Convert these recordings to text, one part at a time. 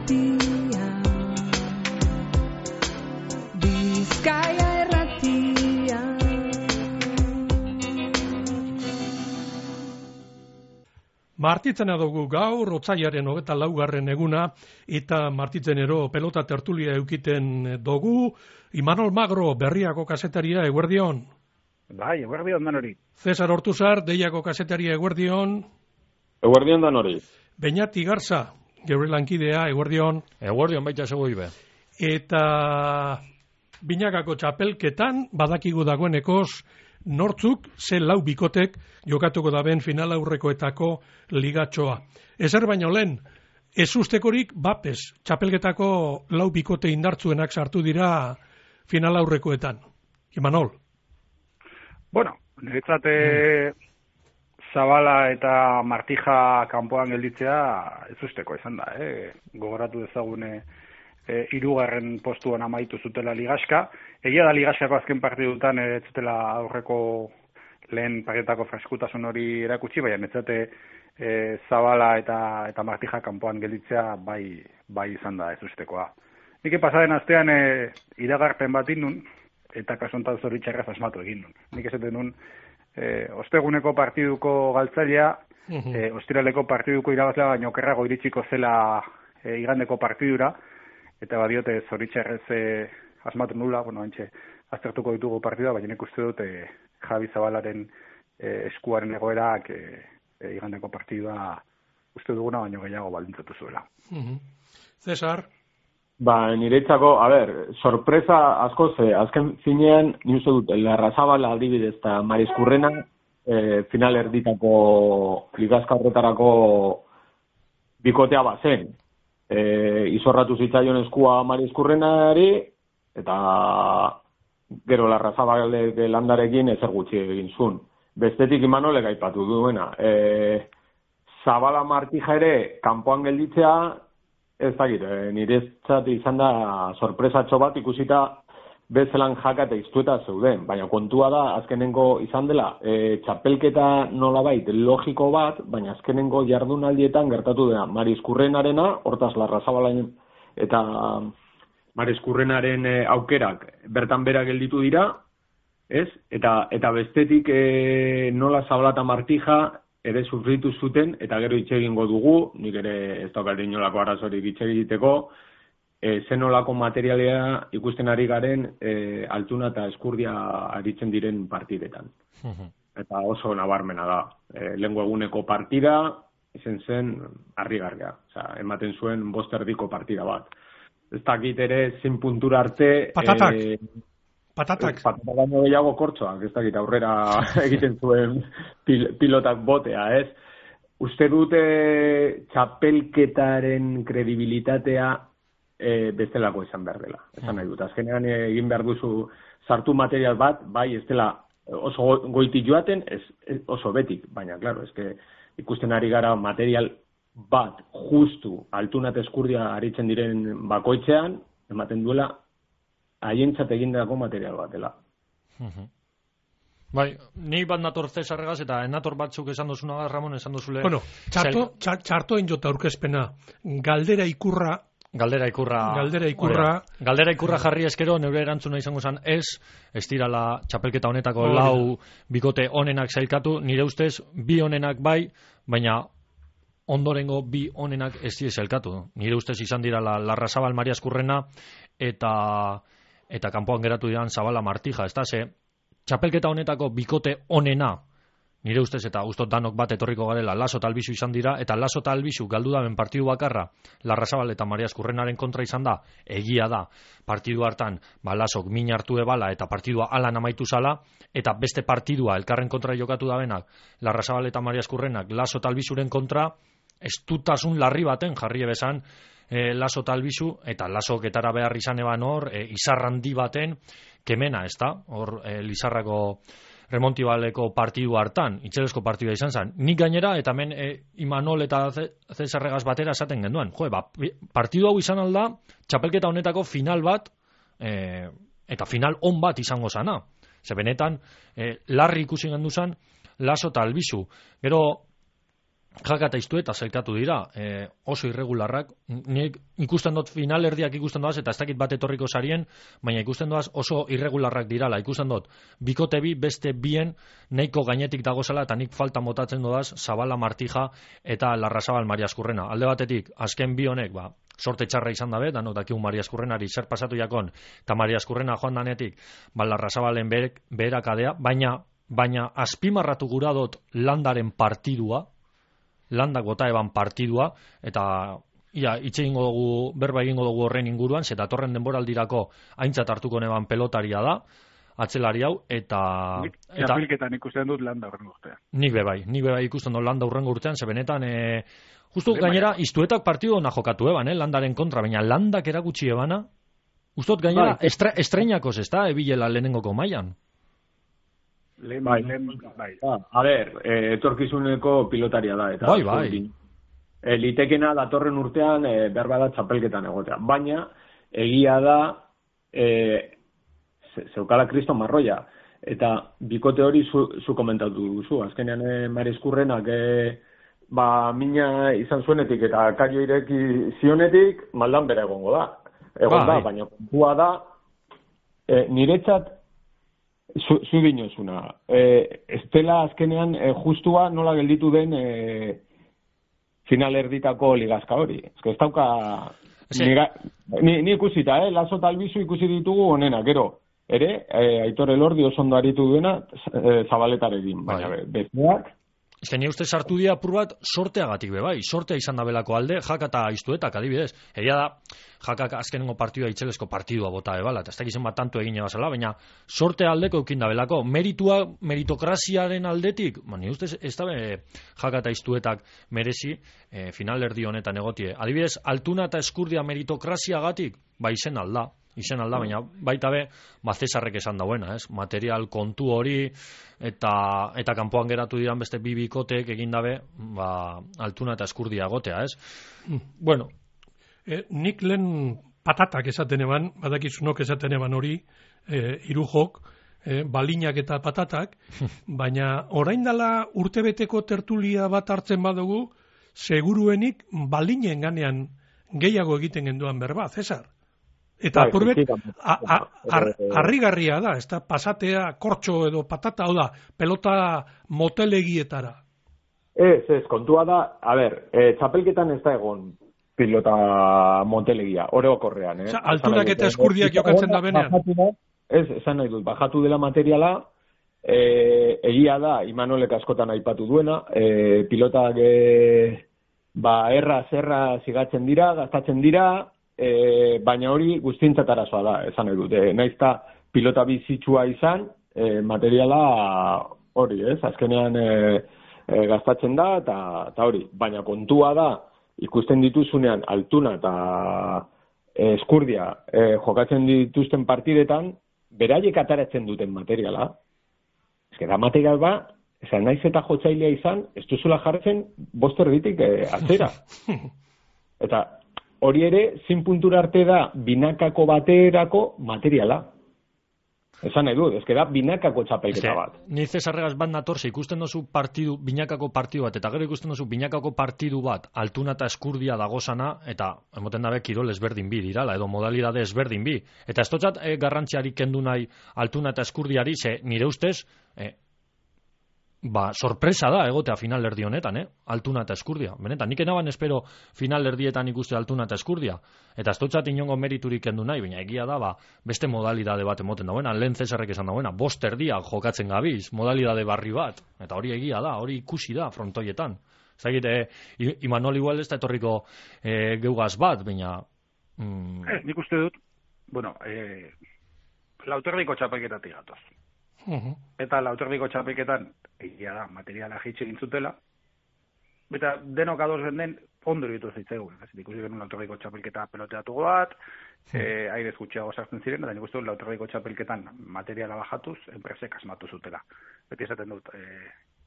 irratia, Bizkaia irratia. Martitzena dugu gaur, otsailaren 24. eguna, eta martitzenero pelota tertulia eukiten dugu. Imanol Magro, Berriako kazetaria, eguerdion. Bai, eguerdion dan hori. Cesar Ortuzar, Deiako kazetaria, eguerdion. Eguerdion dan hori. Beñati Garza, geure lankidea, eguerdion. Eguerdion baita segoi be. Eta binakako txapelketan, badakigu dagoenekoz, nortzuk, ze lau bikotek, jokatuko daben final aurrekoetako ligatxoa. Ezer baino lehen, ez ustekorik bapes, txapelketako lau bikote indartzuenak sartu dira final aurrekoetan. Imanol? Bueno, niretzat Zabala eta Martija kanpoan gelditzea ez usteko izan da. Gogoratu dezagune hirugarren postuan amaitu zutela ligaska. Egia da ligaskako azken partidutan ez zutela aurreko lehen partietako freskutasun hori erakutsi, baina netzate Zabala eta Martija kanpoan gelditzea bai izan da ez ustekoa. Nik pasaren astean iragarpen bat indun, eta kasontan zoritxarraz asmatu egin nun. Nik esaten nun, osteguneko partiduko galtzailea, ostiraleko partiduko irabazlea baino okerrago iritsiko zela igandeko partidura, eta badiote zoritxarrez asmatu nula, hantxe aztertuko ditugu partidua, baina nik uste dut Javi Zabalaren eskuaren egoerak igandeko partidua uste duguna baino gehiago baldintzatu zuela. Cesar? Niretzako, sorpresa asko azken finean, ni uste dut, Larrazabala adibidez eta Mariskurrena final erditako ligazka horretarako bikotea bazen. Izorratu zitzaion eskua Mariskurrenari, eta gero Larrazabalek landarekin ezer gutxi egin zuen. Bestetik Imanolek aipatu duena. Zabala Martija ere kanpoan gelditzea, ez dakit, niretzat izan da sorpresatxo bat ikusita bezelan jaka eta iztueta zeuden. Baina kontua da, azkenengo izan dela, txapelketa nolabait logiko bat, baina azkenengo jardunaldietan gertatu dena Mariskurrenarena, hortaz Larrazabalain eta Mariskurrenaren aukerak bertan bera gelditu dira, ez? Eta bestetik nola Zabala eta Martija ere sufritu zuten, eta gero hitz egingo dugu, nik ere ez daukat inolako arazorik hitz egiteko, zenolako materialea ikusten ari garen Altuna eta Eskurdia aritzen diren partidetan. Eta oso nabarmena da. Lehengo eguneko partida, izen zen harrigarria. Ematen zuen 5 erdiko partida bat. Ez dakit ere zein puntura arte... Patatak baino gehiago kortzoak, ez dakit aurrera egiten zuen pilotak botea, ez? Uste dute txapelketaren kredibilitatea bestelako izan behar dela. Esan nahi dut, azkenean egin behar duzu sartu material bat, bai ez dela oso goiti joaten, oso betik, baina, klaro, ikusten ari gara material bat justu Altuna eta Eskurdia aritzen diren bakoitzean, ematen duela haientzat egindako material bat dela. Bai, ni bat nator Cesarregaz eta nator batzuk esan duzuna da, Ramon, esan duzule... Bueno, txarto injota aurkezpena, galdera ikurra jarri eskero, neure erantzuna izango zen ez dirala txapelketa honetako lau bikote onenak zailkatu, nire ustez bi onenak bai, baina ondorengo bi onenak ez dira zailkatu. Nire ustez izan dira Larrazabal Mariskurrena eta kanpoan geratu diran Zabala Martija, ez da, txapelketa honetako bikote onena, nire ustez eta ustot danok bat etorriko garela, Laso eta Albizu izan dira, eta Laso eta Albizu galdu daben partidu bakarra, Larrazabal eta Mariskurrenaren kontra izan da, egia da, partidu hartan, Lasok min hartu ebala eta partidua alan amaitu zala, eta beste partidua elkarren kontra jokatu dabenak, Larrazabal eta Mariskurrenak, Laso eta Albizuren kontra, estutasun larri baten jarri ebezan, Laso eta Albizu, eta Lasok etara behar izan eban hor, izarrandi baten, kemena, ez da? Hor, Lizarrako remontibaleko partidu hartan, itxelesko partidua izan zen. Nik gainera, eta hemen Imanol eta Cesarregaz batera esaten genduen. Partidu hau izan alda, txapelketa honetako final bat, eta final on bat izango zana. Ze benetan, larri ikusi gendu zen, Laso eta Albizu. Gero, Jaka eta Iztueta zelkatu dira, oso irregularrak, nik ikusten dut finalerdiak ikusten doaz, eta ez dakit bat etorriko sarien, baina ikusten doaz oso irregularrak dirala, ikusten dut, bikote bi beste bien nahiko gainetik dagozela, eta nik falta motatzen doaz, Zabala Martija eta Larrazabal Mariaskurrena. Alde batetik, azken bi honek, sorte txarra izan dabe, danok dakigu Mariaskurrenari zer pasatu jakon, eta Mariaskurrena joan danetik, Larrazabalen beherakadea, baina azpimarratu gura dut Landaren partidua, Landak bota eban partidua, eta itxe egingo dugu, berba egingo dugu horren inguruan, ze datorren denboraldirako aintzat hartuko neban pelotaria da, atzelari hau, eta... Txapelketan ikusten dut Landa horrengo urtean. Nik bebai ikusten dut Landa horrengo urtean, ze benetan, justu gainera, Iztuetak partidu ona jokatu eban, Landaren kontra, baina Landak erakutsi ebana, ustot gainera, estreinakos, ez da, ebilela lehenengoko mailan. Bai. A ber, etorkizuneko pilotaria da, eta bai. Litekena datorren urtean berba da txapelketan egotea. Baina, egia da zeukala Kriston Marroia. Eta bikote hori zu komentatu duzu. Azkenean Mariaskurrenak mina izan zuenetik eta kario ireki zionetik, maldan bera egongo da. Da, baina kontua da, niretzat zu dinozuna. Estela azkenean justua nola gelditu den final erditako ligazka hori. Ez dauka... Ni ikusita, Laso eta Albizu ikusi ditugu onena, gero. Ere, Aitor Elordi oso ondo aritu duena Zabaletarekin. Baina besteak... Ez ni uste sartu dira apur bat sorteagatik bai, sortea izan dabelako alde, Jaka eta Iztuetak adibidez. Egia da, Jakak azkenengo partidua itxelesko partidua bota ebala, eta ez dakizen bat tanto egin ebazala, baina sortea aldeko eukin dabelako. Meritokraziaren aldetik, ni uste ez da Jaka eta Iztuetak merezi finalerdi honetan egotie. Adibidez, Altuna eta Eskurdia meritokraziagatik, izen alda, baina baita be, Cesarrek esan dauena, material kontu hori, eta kanpoan geratu diran beste bi bikotek egin dabe, Altuna eta Eskurdia egotea, Bueno. Nik lehen patatak esaten eban, badakizunok esaten eban hori, irujok, balinak eta patatak, baina orain dela urtebeteko tertulia bat hartzen badugu, seguruenik balinen ganean gehiago egiten genduan berba, Cesar. Eta apurbet, harrigarria da, ez da, pasatea, kortxo edo patata, hau da, pelota motelegietara. Ez, kontua da, txapelketan ez da egon pilota motelegia, orokorrean, Altunak eta Eskurdiak jokatzen da benean. Esan nahi dut, bajatu dela materiala, egia da, Imanolek askotan aipatu duena, pilotak erra zigatzen dira, gastatzen dira, baina hori guztientzat arazoa da, esan nahi dut. Naizta pilota bizitsua izan, materiala hori, azkenean gastatzen da, eta hori. Baina kontua da, ikusten dituzunean Altuna eta Eskurdia jokatzen dituzten partidetan, beraiek ataratzen duten materiala. Ez da material esan naiz eta jotzailea izan, ez duzula jartzen bosterditik atzera. Eta hori ere, 100 puntura arte da binakako baterako materiala. Esan nahi dut, da binakako txapelketa bat. Ni Cesarregaz bat natorze, ikusten dozu binakako partidu bat, eta gero ikusten dozu binakako partidu bat, Altuna eta Eskurdia dagozana, eta emoten dabe kirol ezberdin bi dirala, edo modalidade ezberdin bi. Eta ez totzat garrantziari kendu nahi Altuna eta Eskurdiari, ze nire ustez, sorpresa da egotea finalerdi honetan, Altuna eta Eskurdia. Benetan, nik enaban espero finalerdietan ikuste Altuna eta Eskurdia. Eta ez dutzat inongo meriturik kendu nahi, baina egia da, beste modalidade bat emoten dauena, lehen Cesarrek esan dauena, bosterdia jokatzen gabiz, modalidade barri bat. Eta hori egia da, hori ikusi da frontoietan. Ez dakit, Imanol igual ez da etorriko geugaz bat, baina... Nik uste dut, lauterdiko txapelketatik gatoz. Eta lauterdiko txapelketan egia da, materiala jitxe egin zutela, eta denok ados den ondo egitu zitzaigun. Ikusi genuen lauterdiko txapelketa peloteatu bat, airez gutxiago sartzen ziren, eta nik uste dut lauterdiko txapelketan materiala bajatuz, enpresek asmatu zutela. Beti esaten dut,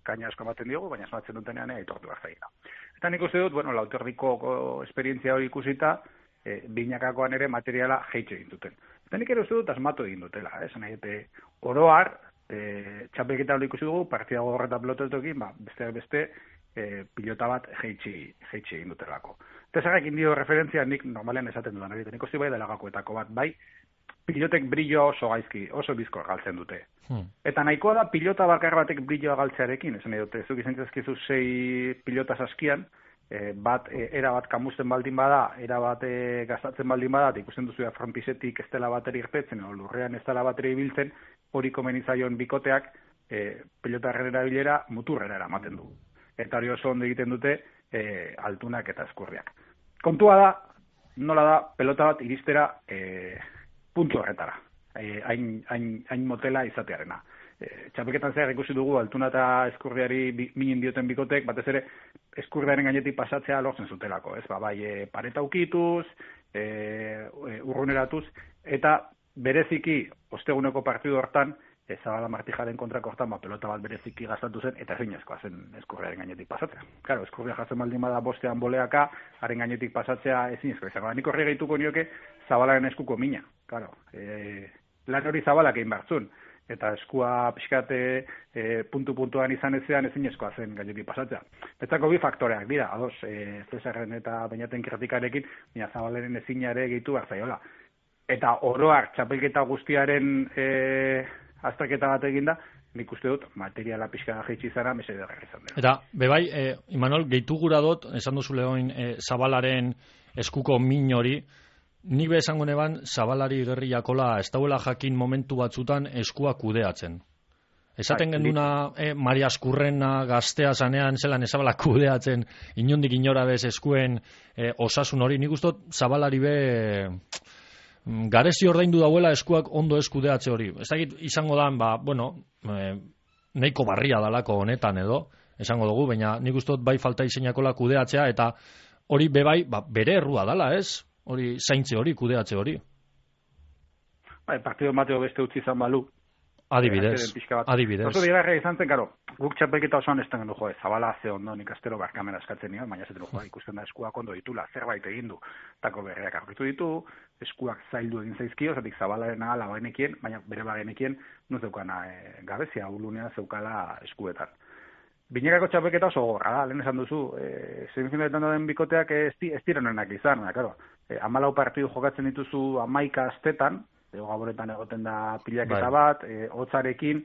kaina asko ematen diogu, baina asmatzen dutenean aitortu behar zaila. Eta nik uste dut, lauterdiko esperientzia hori ikusita, binakakoan ere materiala jeitxe egin duten. Eta nik ere uste dut asmatu egin dutela, esan nahi, oroar, txapelketa hori ikusi dugu, partida gogorreta pelotetokin, beste pilota bat jeitsi egin dutelako. Eta zerrekin dio referentzia nik normalean esaten dudan, nik uste bai dela gakoetako bat, bai, pilotek brillo oso gaizki, oso bizkor galtzen dute. Eta nahikoa da pilota bakar batek brilloa galtzearekin, esan dute, zuk izan zazkizu 6 pilota saskian, bat erabat kamusten baldin bada, erabat gastatzen baldin bada, ikusten duzu frontisetik ez dela bateri irtetzen, o lurrean ez dela bateri ibiltzen, hori komenitzaion bikoteak pilotarren erabilera muturrera eramaten du. Eta hori oso ondo egiten dute altunak eta eskurriak. Kontua da, nola da, pelota bat iristera puntu horretara, hain motela izatearena. Txapelketan zehar ikusi dugu altuna eta eskurriari minin dioten bikotek, batez ere eskurriaren gainetik pasatzea lortzen zutelako, ez? Bai, pareta ukituz, urruneratuz, eta bereziki osteguneko partidu hortan, Zabala Martijaren kontrako hortan, pelota bat bereziki gastatu zen, eta ezinezkoa zen eskurriaren gainetik pasatzea. Claro, eskurria jatzen baldin bada bostean boleaka, haren gainetik pasatzea ezinezkoa izango. Nik horri gehituko nioke Zabalaren eskuko mina. Claro, lan hori Zabalak egin bartzun, eta eskua pixkate puntu-puntuan izan ezean ezinezkoa zen gainetik pasatzea. Betzako bi faktoreak dira, ados, Cesarren eta Beñaten kritikarekin, baina Zabalaren ezinare gehitu behar zaiola. Eta oroar txapelketa guztiaren azterketa bat eginda, nik uste dut materiala pixka jaitsi zara mesede garri izan dela. Eta, bebai, Imanol, gehitu gura dut, esan duzu lehoin Zabalaren eskuko min hori, nik esango neban Zabalari gerri jakola ez dauela jakin momentu batzutan eskua kudeatzen. Esaten genduna Maria Askurrena gaztea zanean zelan Zabala kudeatzen inondik inora bez eskuen osasun hori, nik uste dut Zabalari be garezi ordaindu dauela eskuak ondo eskudeatze hori. Ez dakit izango da, nahiko barria dalako honetan edo, esango dugu, baina nik uste dut bai falta izeinakola kudeatzea, eta hori bebai, bere errua dala, ez? Hori zaintze hori, kudeatze hori. Partido mateo beste utzi izan balu. Adibidez. Oso digarra izan zen, karo, guk txapelketa osoan ez tengen du, Zabala ze ondo nik astero barkamena eskatzen nion, baina zaten du, ikusten da eskuak ondo ditula, zerbait egin du, tako berreak aurkitu ditu, eskuak zaildu egin zaizkio, zatik Zabalaren ala bagenekien, baina bere bagenekien, nu zeukana gabezia, ulunea zeukala eskuetan. Binekako txapelketa oso gorra da, lehen esan duzu, semifinaletan den bikoteak ez direnenak izan, claro, 14 partidu jokatzen dituzu 11 astetan, gaboretan egoten da pilaketa bat, hotzarekin,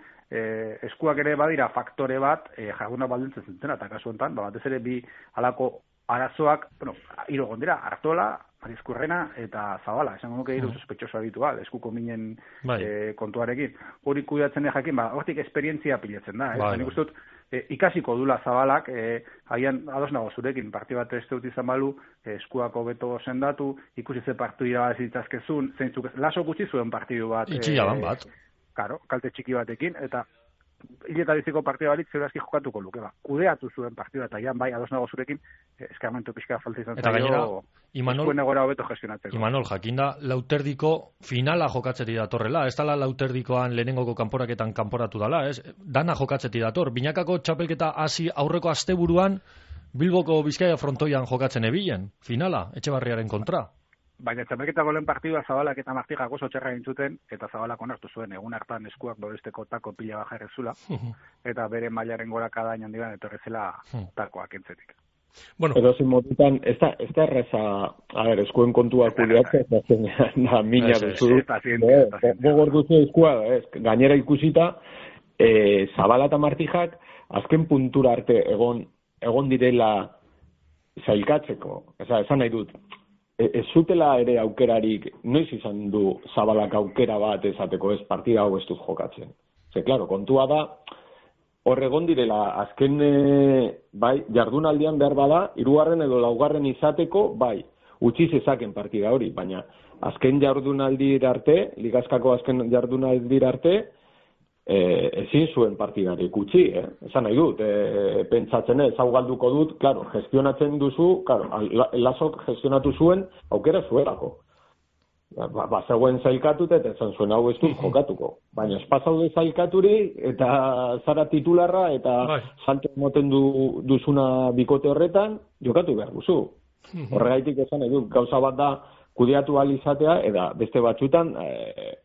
eskuak ere badira faktore bat, jarduna baldintzen zentena, eta kasu honetan, batez ere bi halako arazoak, hiru egon dira, Artola, Mariskurrena eta Zabala, esango nuke hiru sospechoso habitual, eskuko minen kontuarekin. Hori kudeatzen jakin, hortik esperientzia pilatzen da, nik uste dut, ikasiko dula Zabalak, haian ados nago zurekin, parti bat ez dut izan balu, eskuako beto sendatu, ikusi ze partidu irabazi ditzazkezun, zeintzuk laso gutxi zuen partidu bat. Itxiaban bat. Karo, kalte txiki batekin, eta hileta biziko partida barik zeurazki jokatuko luke, kudeatu zuen partida, eta ian bai, ados nago zurekin, eskarmentu pixka falta izan zaio, eskuen egora hobeto gestionatzeko. Imanol, jakinda, lauterdiko finala jokatzeti datorrela, ez dala lauterdikoan lehenengoko kanporaketan kanporatu dala, ez? Dana jokatzeti dator, binakako txapelketa hasi aurreko asteburuan Bilboko Bizkaia frontoian jokatzen ebilen, finala, Etxebarriaren kontra. Baina txapelketako lehen partidua Zabalak eta Martijak oso txerra gintzuten, eta Zabalak onartu zuen, egun hartan eskuak babesteko tako pila bajarrezula, eta bere mailaren gorakada inondiban etorrezela takoak entzetik. Bueno, edo zin motutan, ez da erreza, eskuen kontua kudeatzea, da mina duzu, gogor duzu eskua, gainera ikusita, Zabala eta Martijak, azken puntura arte egon direla zailkatzeko, esan nahi dut, ez zutela ere aukerarik, noiz izan du Zabalak aukera bat esateko ez partida hau ez dut jokatzen. Claro, kontua da, hor egon direla, azken jardunaldian behar bada, 3. edo 4. izateko, utzi zezaken partida hori, baina azken jardunaldir arte, ligazkako azken jardunaldir arte, ezin zuen partidarik utzi, esan nahi dut, pentsatzen hau galduko dut, claro, gestionatzen duzu, claro, Lasok gestionatu zuen, aukera zuelako. Zegoen zailkatut eta esan zuen hau ez dut jokatuko. Baina espazaude zailkaturi eta zara titularra eta salto moten duzuna bikote horretan, jokatu behar duzu. Horregaitik esan nahi dut, gauza bat da kudeatu alizatea, eta beste batzutan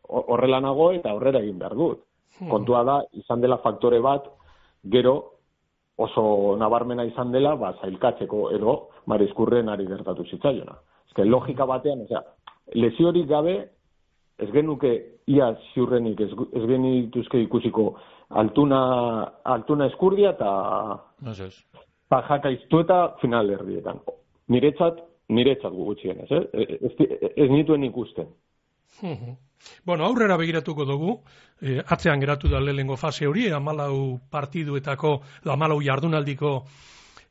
horrela nago eta horrela egin behar dut. Kontua da, izan dela faktore bat, gero, oso nabarmena izan dela, zailkatzeko edo Mariskurrenari gertatu zitzaiona. Eske logika batean, lesiorik gabe, ez genuke ia ziurrenik, ez genituzke ikusiko Altuna Eskurdia eta Jaka Iztueta final erdietan. Niretzat gutxienez, ez nituen ikusten. Bueno, aurrera begiratuko dugu, atzean geratu da lehenengo fase hori, 14 partiduetako, 14 jardunaldiko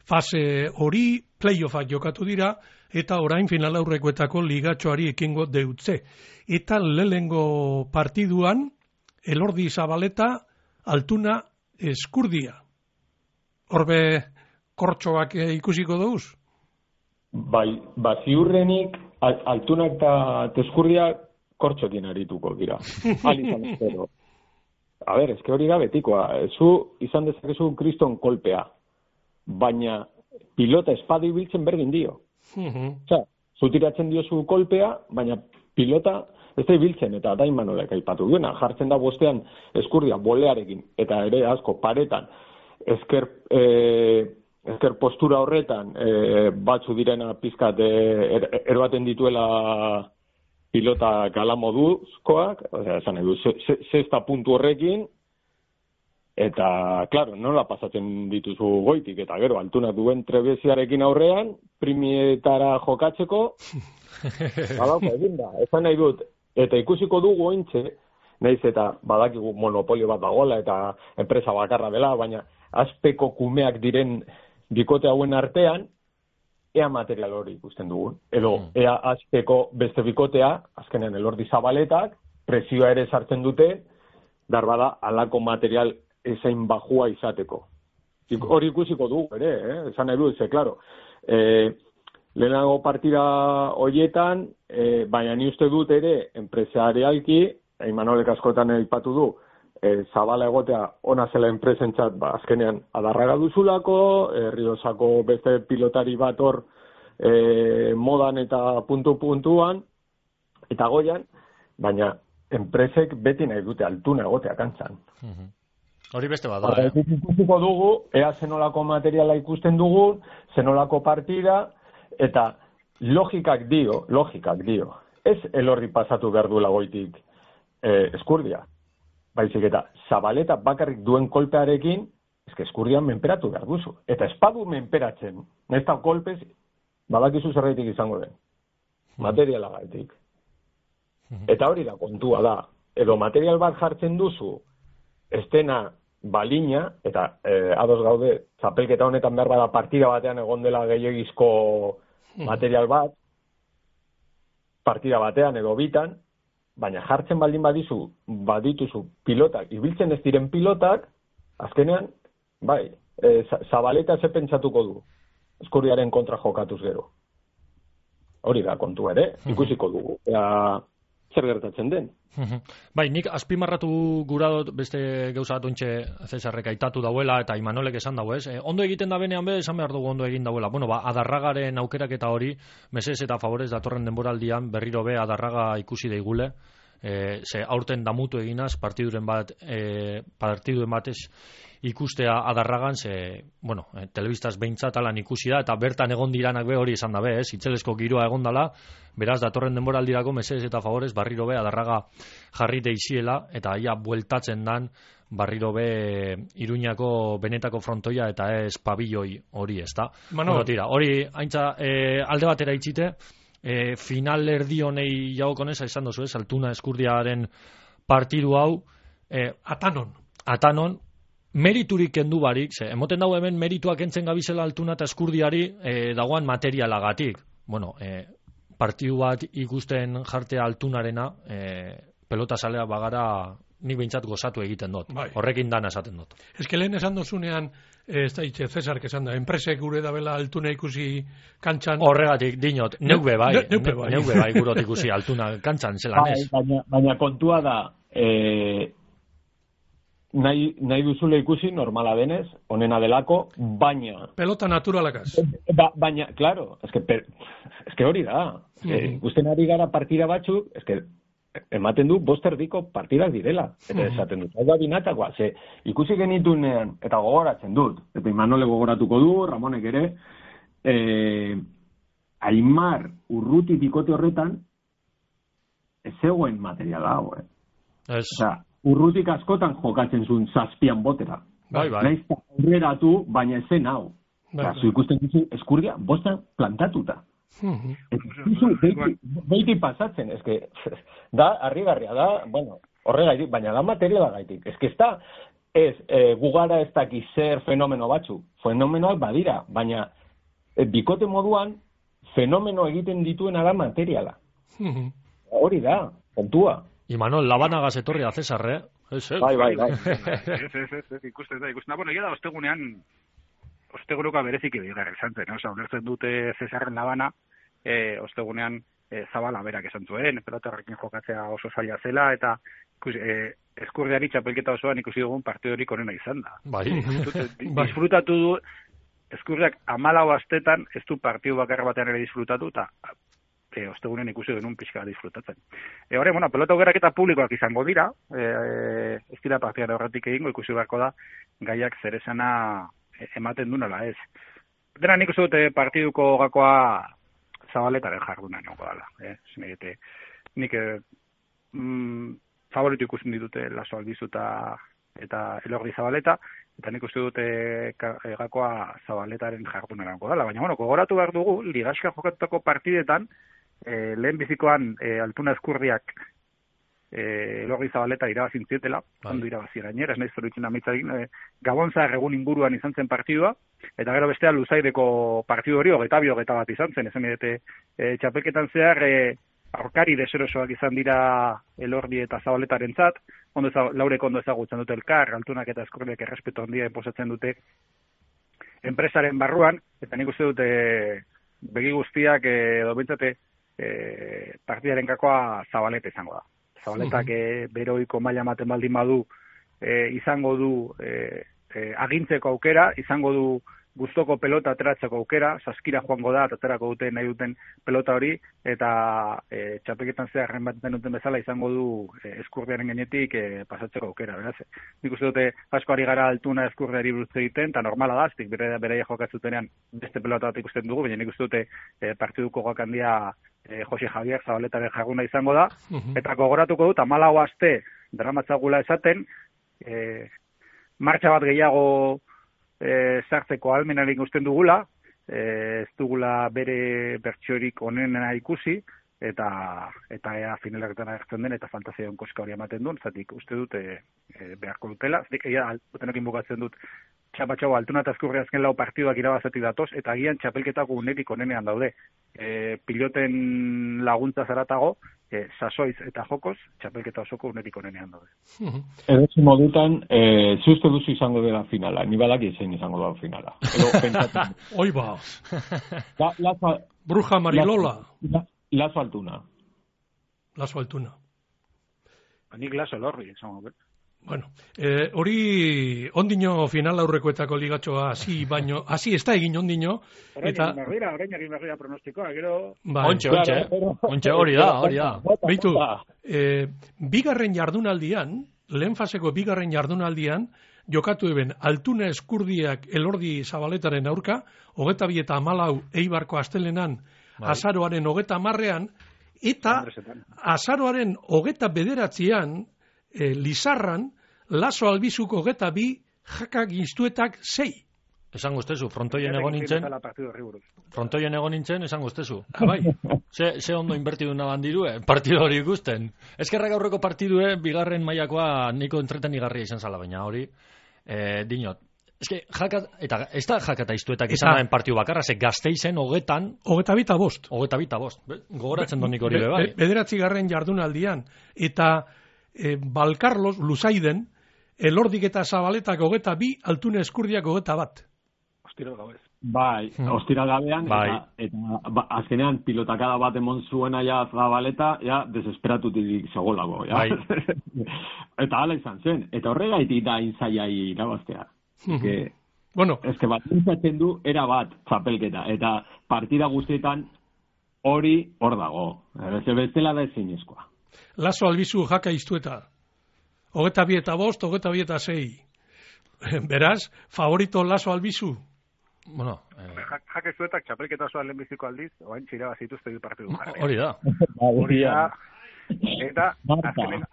fase hori, playoffak jokatu dira, eta orain final aurrekoetako ligatxoari ekingo deutze. Eta lehenengo partiduan, Elordi Zabaleta, Altuna Eskurdia. Horbe kortxoak ikusiko duz? Bai, ziurrenik Altunak eta Eskurdia kortxokin arituko dira. Alizan espero. A ber, eske hori da betikoa. Zu izan dezakezu kriston kolpea, baina pilota espadi biltzen berdin dio. Zu tiratzen diozu kolpea, baina pilota ez da ibiltzen, eta da Imanolek aipatu duena. Jartzen da bostean Eskurdia bolearekin, eta ere asko paretan, ezker postura horretan batzu direna pizkat erbaten dituela pilota gala moduzkoak, esan edu, sexta puntu horrekin, eta, klaro, nola pasatzen dituzu goitik, eta gero, Altunak duen trebeziarekin aurrean, primietara jokatzeko, badauka egin da, esan nahi dut, eta ikusiko dugu ointxe, nahiz eta badakigu monopolio bat dagoela, eta enpresa bakarra dela, baina azpeko kumeak diren bikote hauen artean, ea material hori ikusten dugun. Edo, ea azpeko beste bikotea, azkenean Elordi Zabaletak, presioa ere sartzen dute, darbada alako material ezain bajua izateko. Hori ikusiko dugu ere, esan nahi dut, klaro, lehenago partida horietan, baina ni uste dut ere, enpresarialki, Imanolek askotan aipatu du, Zabala egotea ona zela enpresentzat, azkenean adarraga duzulako, Erriosako beste pilotari bat hor modan eta puntuan, eta goian, baina enpresek beti nahi dute Altuna egotea kantzan. Hori beste bat da, Ikusiko dugu, ea zenolako materiala ikusten dugun, zenolako partida, eta logikak dio, ez Elordi pasatu behar duela goitik Eskurdia. Baizik eta Zabaleta bakarrik duen kolpearekin, Eskurdian menperatu behar duzu. Eta espadu menperatzen, nahiz eta kolpez, badakizu zerraitik izango den. Materiala gaitik. Eta hori da kontua da. Edo material bat jartzen duzu, estena balina, eta ados gaude, txapelketa honetan behar bada partida batean egon dela gehiagizko material bat, partida batean edo bitan, baina jartzen baldin badituzu pilotak, ibiltzen ez diren pilotak, azkenean, bai, Zabaleta ze pentsatuko du, Eskurdiaren kontra jokatuz gero. Hori da kontu ere, ikusiko dugu, zer gertatzen den. Bai, nik azpimarratu gura dut beste gauza bat ontxe Cesarrek aitatu dauela eta Imanolek esan dago, ez? Ondo egiten da benean esan behar dugu ondo egin dauela. Bueno, Adarragaren aukerak eta hori, mesez eta favorez datorren denboraldian berriro Adarraga ikusi daigule, ze aurten damutu eginaz partiduren batez ikustea Adarragan, ze, bueno, telebistaz behintzat alan ikusi da, eta bertan egon diranak hori esan dabe, itzelesko giroa egon dala, beraz, datorren denboraldirako mesez eta favorez barriro Adarraga jarri deiziela, eta ia bueltatzen dan barriro Iruñako benetako frontoia eta ez pabilloi hori, ez da? Bueno, tira, hori haintza alde batera itxite, final erdi honei jagokonez, esan dozu ez, Altuna Eskurdiaren partidu hau, Atanon, meriturik kendu barik, emoten dago hemen merituak entzen gabizela Altuna eta Eskurdiari dagoan materialagatik. Bueno, partidu bat ikusten jartea Altunarena, pelota salea bagara nik behintzat gozatu egiten dut. Bai. Horrekin dana esaten dut. Ez que lehen esan dozunean, ez da itxe, Cesar, esan da, enpresek gure dabela Altuna ikusi kantxan. Horregatik, dinot, neuke bai gurot ikusi Altuna kantxan, zelan ez. Baina kontua da, nahi duzule ikusi normala denez, onena delako, baina... Pelota naturalakaz. Baina, claro, eske hori da. Ikusten ari gara partida batzuk, ematen du bosterdiko partidak direla. Eta esaten dut, hau da binatakoa, ze ikusi genitunean, eta gogoratzen dut, eta Imanole gogoratuko du, Ramonek ere, Aimar Urruti bikote horretan, ez zegoen materiala hau, Osea, Urrutik askotan jokatzen zuen 7 botera. Bai. Naiz aurreratu, baina ezen hau. Zu ikusten duzu Eskurdia bostan plantatuta. Beiti pasatzen, eske da harrigarria da, bueno, horregaitik, baina da materialagaitik. Eske ez gugara ez dakiz zer fenomeno batzu. Fenomenoak badira, baina bikote moduan fenomeno egiten dituena da materiala. Hori da, kontua. Imanol, labanagaz etorri da Cesar, Bai. Ez, ikusten da. Bueno, egia da, osteguruka berezik ebigarra izan zen, oza, ulertzen dute Cesarren labana, ostegunean Zabala berak esan zuen, pelotarrekin jokatzea oso zaila zela, eta Eskurdiari txapelketa osoan ikusi dugun partidorik onena izan da. Bai. Disfrutatu du, Eskurdiak 14 astetan ez du partidu bakarra batean ere disfrutatu, eta ostegunean ikusi genuen pixka disfrutatzen. Horre, pelota aukerak eta publikoak izango dira, ez dira partidara horretik egingo, ikusi beharko da, gaiak zer esana ematen du nola ez. Dena nik uste dute partiduko gakoa Zabaletaren jarduna niongo dala. Nik favoritu ikusten ditute Laso Albizu eta Elordi Zabaleta, eta nik uste dute gakoa Zabaletaren jarduna niongo dala. Baina, gogoratu behar dugu, ligaxka jokatutako partidetan, lehen bizikoan Altuna Eskurdiak Elordi Zabaleta irabazin zietela, ondo irabazi gainera, ez nahiz zoritzen amitzarekin, Gabonzar egun inguruan izan zen partidua, eta gero bestea Luzaideko partidu hori 22 bat izan zen, esan edete txapelketan zehar aurkari deserosoak izan dira Elordi eta Zabaletaren zat, Laurek ondo ezagutzen dute elkar, Altunak eta Eskurdiak errespetu handia posatzen dute enpresaren barruan, eta nik uste dute begi guztiak edo bintzate partidaren kakoa Zabaleta izango da. Zabaletak beroiko maila ematen baldin badu izango du agintzeko aukera, izango du gustoko pelota ateratzeko aukera, saskira joango da, aterako dute nahi duten pelota hori, eta txapelketan zeharren bat duten bezala izango du Eskurdiaren gainetik pasatzeko aukera, beraz. Nik uste dute asko ari gara Altuna Eskurdiari buruz egiten, eta normala da, aztik beraia jokatzutenean beste pelota bat ikusten dugu, baina nik uste dute partiduko gok handia Jose Javier Zabaletaren jaguna izango da, eta gogoratuko dut, 14 aste dramatzagula esaten, martxa bat gehiago sartzeko ahalmenarik usten dugula, ez dugula bere bertsiorik onena ikusi, eta ea finalaketan agertzen den, eta fantasiaon koska hori ematen duen, zatik uste dut beharko dutela, zatik utenokin bukatzen dut, txapatxau Altuna eta Eskurri azken lau partiduak irabazatik datoz, eta agian txapelketako unetik onenean daude. Piloten laguntza zaratago, sasoiz eta jokoz, txapelketa osoko unetik onenean daude. Edozi modutan, uste duzu izango dela finala, ni badaki zein izango da finala. Oi ba! Bruja Marilola. Laso Altuna. Laso Altuna. Nik Laso Elorri, izango bet. Bueno, hori ondino final aurrekoetako ligatxoa hasi ez da egin ondino. Orain egin berria pronostikoa, gero... Ontxe, hori da. Beitu, bigarren jardunaldian, lehen faseko bigarren jardunaldian, jokatu eben Altuna Eskurdiak Elordi Zabaletaren aurka, 22 eta 14 Eibarko astelenan, azaroaren 30ean, eta azaroaren 29ean, Lizarran, Laso Albizuko 22, Jakak Instuetak 6. Esan guztezu, frontoien egon nintzen, esan guztezu. Bai. Ze ondo inbertidu naban dirue, partidu hori ikusten. Ezkerrak aurreko partidue, bigarren mailakoa niko entretenigarria izan zala, baina hori, dinot. Ez da Jakata Instuetak izan daren partidu bakarra, ze Gasteizen 22. Gogoratzen donik hori bai. 9. jardunaldian, eta Balkarlos, Luzaiden, Elordik eta Zabaletak 22, Altuna Eskurdiak 21. Ostiral gabez. Bai, ostiral gabean, eta azkenean pilotakada bat emon zuena ja Zabaleta, ja, desesperatutik segolago, ja. Bai. Eta hala izan zen, eta horregaitik da inzaiai irabaztea. Bueno. Ez que bat intzatzen du, era bat, txapelketa, eta partida guztietan hori hor dago. Bestela da ezinezkoa. Laso Albizu jaka iztueta. 22-5, 22-6. Beraz, favorito Laso Albizu? Bueno, jake zuetak txapelketa osoa lehenbiziko aldiz, oain txira bazituzte bi partidu jarri. hori da. Hori da. Eta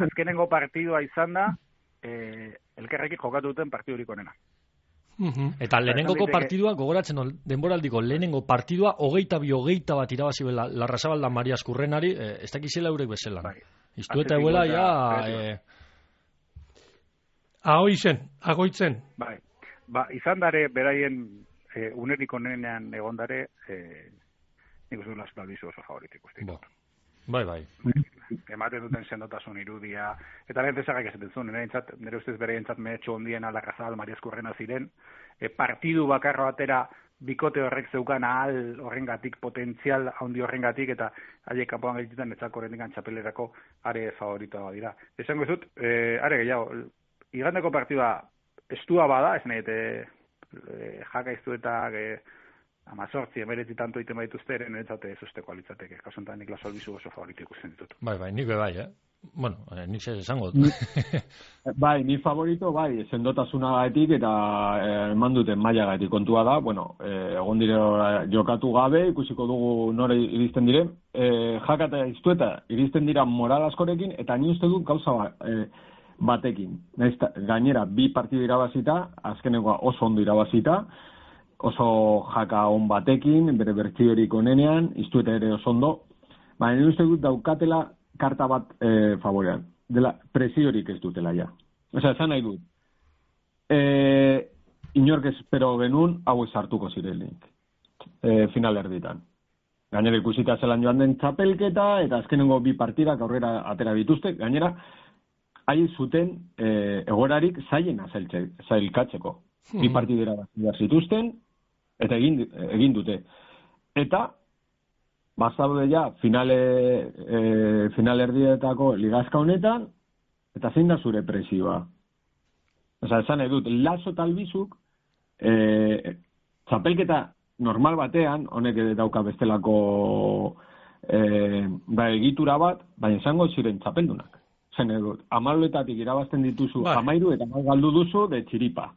azkenengo partidua izan da, elkarrekin jokatu duten partidurik onena. Eta lehenengoko partidua, gogoratzen denboraldiko lehenengo partidua, 22-21 irabazi bela Larrazabalda Maria Eskurrenari, ez dakizela eurek bezelan. Bai. Iztueta eguela, ja... Agoitzen. Bai. Izan dare, beraien unerik onenean egondare, nik uste du Laso Albizu oso favoritik uste. Bai. Ematen duten sendotasun irudia, eta lehen zesagak esaten zuen, nire ustez bereientzat mehetxo ondien Larrazabal Maria Eskurrena ziren, partidu bakarro atera bikote horrek zeukan ahal horrengatik, potentzial handi horrengatik, eta haiek kanpoan gaituten etzako horrendikan txapelerako are favoritoa dira. Esango zut, are gehiago, igandeko partidua estua bada, ez nahi, jaka iztuetak 18-19 tanto iten baituzte, eren etzate ez usteko alitzateke. Kasuntan nik Laso Albizu oso favorito ikusten ditut. Bai, nik bai, Bueno, nik ze esango. Bai, ni favorito, bai, sendotasunagatik eta eman duten mailagatik kontua da, bueno, egon dire jokatu gabe, ikusiko dugu nore iristen diren, jaka eta iztueta iristen dira moral askorekin, eta ni uste dut gauza batekin. Gainera, bi partidu irabazita, azkenekoa oso ondo irabazita, oso jaka on batekin, bere bertsiorik onenean, iztueta ere oso ondo, baina uste dut daukatela karta bat favorean. Dela, presiorik ez dutela ja. Osea, esan nahi dut. Inork espero genuen hau sartuko zirenik. Final erditan. Gainera ikusita zelan joan den txapelketa, eta azkenengo bi partidak aurrera atera dituzte. Gainera, hain zuten egorarik zailena zailkatzeko. Bi partidera bat zituzten, eta egin dute. Eta, bazaude ja, final erdietako ligazka honetan, eta zein da zure presioa? Osa, esan edut, Laso eta Albizuk, txapelketa normal batean, honek dauka bestelako egitura bat, baina izango ziren txapeldunak. Zen edut, 10 irabazten dituzu, 13 eta galdu duzu de txiripa.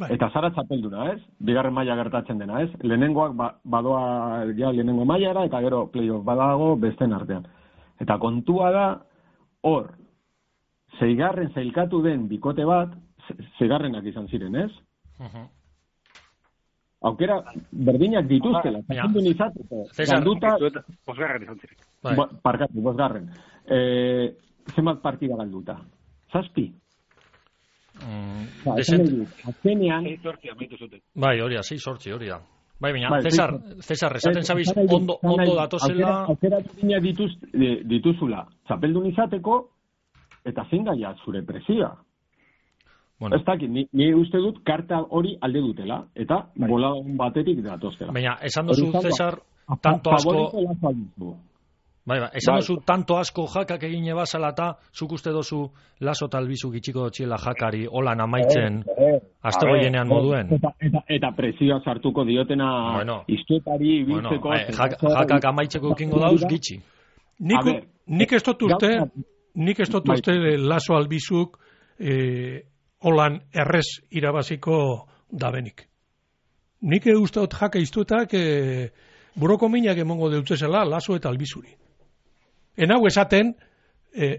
Eta zara txapelduna, ez? Bigarren maila gertatzen dena, ez? Lehenengoak badoa ja lehenengo mailara, eta gero playoff badago besten artean. Eta kontua da, hor, 6. zailkatu den bikote bat, 6. izan ziren, ez? Aukera berdinak dituztela, txapeldun izateko. Galduta... 5. izan ziren. Parkatu, 5. Zenbat partida galduta? 7. Azkenean... 6-8 amitu zuten. Bai, hori da, 6-8 hori da. Bai, baina, Cesar, esaten zabiz, ondo datozela... Aukeratu dina dituzula, txapeldun izateko, eta zein gaia zure presioa. Bueno. Ez dakit, ni uste dut karta hori alde dutela, eta bola batetik datoztela. Baina, esan dozu, Cesar, tanto asko... Bai, esan dozu tanto asko jakak egin ebazala eta zuk uste dozu Laso eta Albizu gitxiko dotxiela jakari holan amaitzen azte goienean moduen. Eta presioa sartuko diotena iztuetari biltzeko... Jakak amaitzeko ekingo dauz gitxi. Nik ez dut uste Laso Albizuk holan errez irabaziko dabenik. Nik uste dut jaka iztuetak buroko minak emongo deutzezela Laso eta Albizuri. Hau esaten,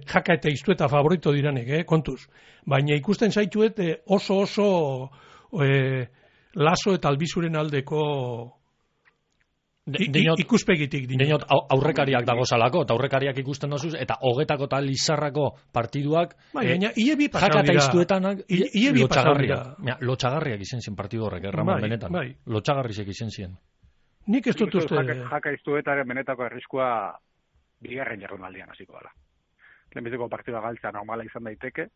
jaka eta iztueta favorito diranek, kontuz. Baina ikusten zaituet oso Laso eta Albizuren aldeko ikuspegitik. Dinot aurrekariak dagozalako, eta aurrekariak ikusten dozuz, eta hogetako eta lizarrako partiduak jaka eta iztuetanak lotxagarriak izen zien partidu horrek, Ramon benetan. Lotxagarrizek izen zien. Nik ez dut uste... Jaka iztuetaren benetako arriskua bigarren jardunaldian hasiko dela. Lehenbiziko partida galtza normala izan daiteke,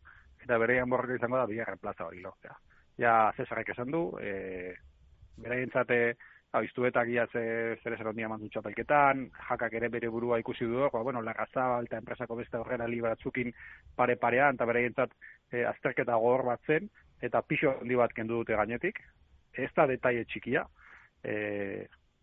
eta bereian borroka izango da bigarren plaza hori lortzea. Ja, Cesarrek esan du, beraientzate iztuetak ia zer esan ondia mandu txapelketan, jakak ere bere burua ikusi du, Larrazabal eta enpresako beste horrela batzukin pare-parean, eta beraientzat azterketa gogor bat zen, eta pixo handi bat kendu dute gainetik. Ez da detaile txikia,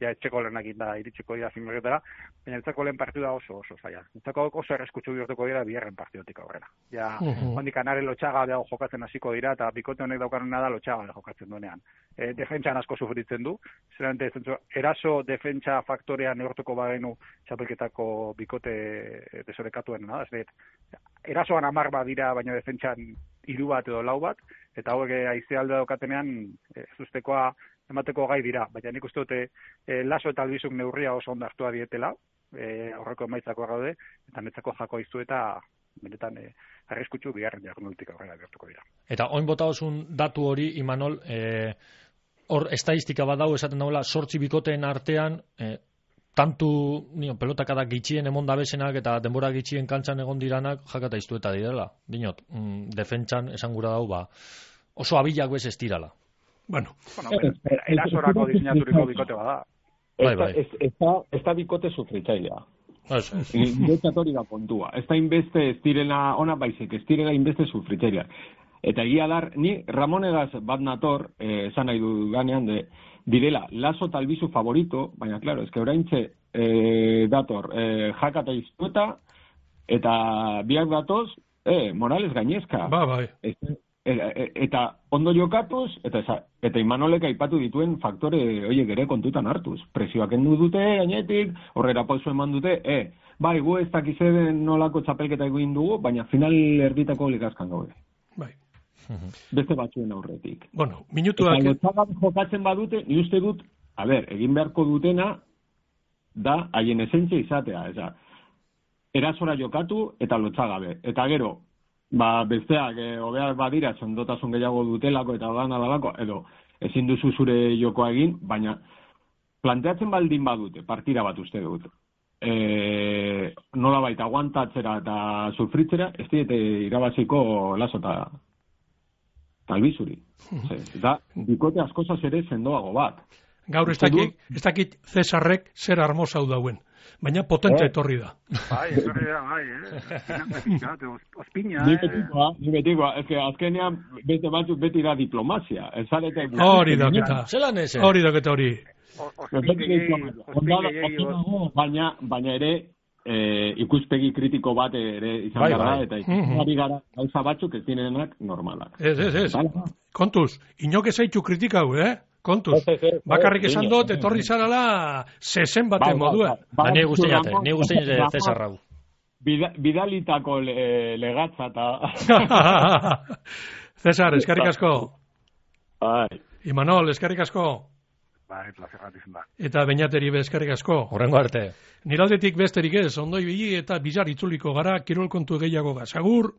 ja etxeko lehenak da iritsiko dira zinbaketara, baina entzako lehen partida oso zaila. Entzako oso erreskutsu bihurtuko dira bigarren partidotik aurrera. Ja, hondik anare lotxaga dago jokatzen hasiko dira, eta bikote honek daukarena da lotxaga jokatzen duenean. Defentsan asko sufritzen du, zerante eraso defentsa faktorea neurtuko bagenu txapelketako bikote desorekatuena da, erasoan 10 bat dira, baina defentsan 3 bat edo 4 bat, eta hauek aizealde daukatenean zustekoa emateko gai dira, baina nik uste dute Laso eta Albizuk neurria oso ondo hartua dietela, aurreko emaitzako gaude, eta netzako jako izu eta benetan arriskutsu bigarren jardunalditik aurrera bihurtuko dira. Eta oin bota osun datu hori, Imanol, hor estadistika bat dago esaten dagoela 8 bikoteen artean, tantu pelotakadak gitxien emon dabesenak eta denbora gitxien kantxan egon diranak jakata iztueta direla. Dinot, defentsan esan gura dau, oso abilak bez ez dirala. Bueno, erasorako diseinaturiko bikote bada. Ez da bikote sufritzailea. Niretzat hori da kontua. Ez da inbeste ez direla ona baizik, ez direla inbeste sufritzailea. Eta egia dar, ni Ramonegaz bat nator, esan nahi du ganean, direla Laso eta Albizu favorito, baina, klaro, ez que oraintxe dator jakata iztueta, eta biak datoz, Morales gainezka. Bai. Eta ondo jokatuz, eta Imanolek aipatu dituen faktore horiek ere kontutan hartuz. Presioak endu dute, gainetik, horrera pauso eman dute, bai, gu ez dakize nolako txapelketa egin dugu, baina final erditako ligazkan gaude. Bai. Beste batzuen aurretik. Bueno, minutuak... Eta lotxagat jokatzen badute, ni uste dut, egin beharko dutena, da, haien esentzia izatea, erasora jokatu eta lotxagabe. Eta gero, besteak, hobeak badira, sendotasun gehiago dutelako eta dalako, edo ezin duzu zure jokoa egin, baina planteatzen baldin badute, partida bat uste dut. Nola baita aguantatzera eta sufritzera, ez diete irabaziko Laso eta Albizuri. Eta bikote askozaz ere sendoago bat. Gaur ez dakit Cesarrek zer armosau dauen. Baina potente etorri da. Bai, etorri da, bai, ospina, Ni betikoa, ez que azkenean beste batzuk beti da diplomazia. Hori daketa. Zelan ez? Hori daketa hori. Baina ere, ikuspegi kritiko bat ere izan gara, eta ikuspegi gara gauza batzuk ez direnak normalak. Ez. Kontuz, inok ezaitu kritikau, Kontuz, bakarrik esan dut, etorri zarala zezen baten modua. Ni guztiate, Cesar Rau. Bidalitako legatza eta... Cesar, eskerrik asko. Bai. Imanol, eskerrik asko. Bai, plazerrat izan da. Eta Beñateri be eskerrik asko. Horrengo arte. Niraldetik besterik ez, ondoi bili eta bizar itzuliko gara, kirol kontu gehiago gazagur.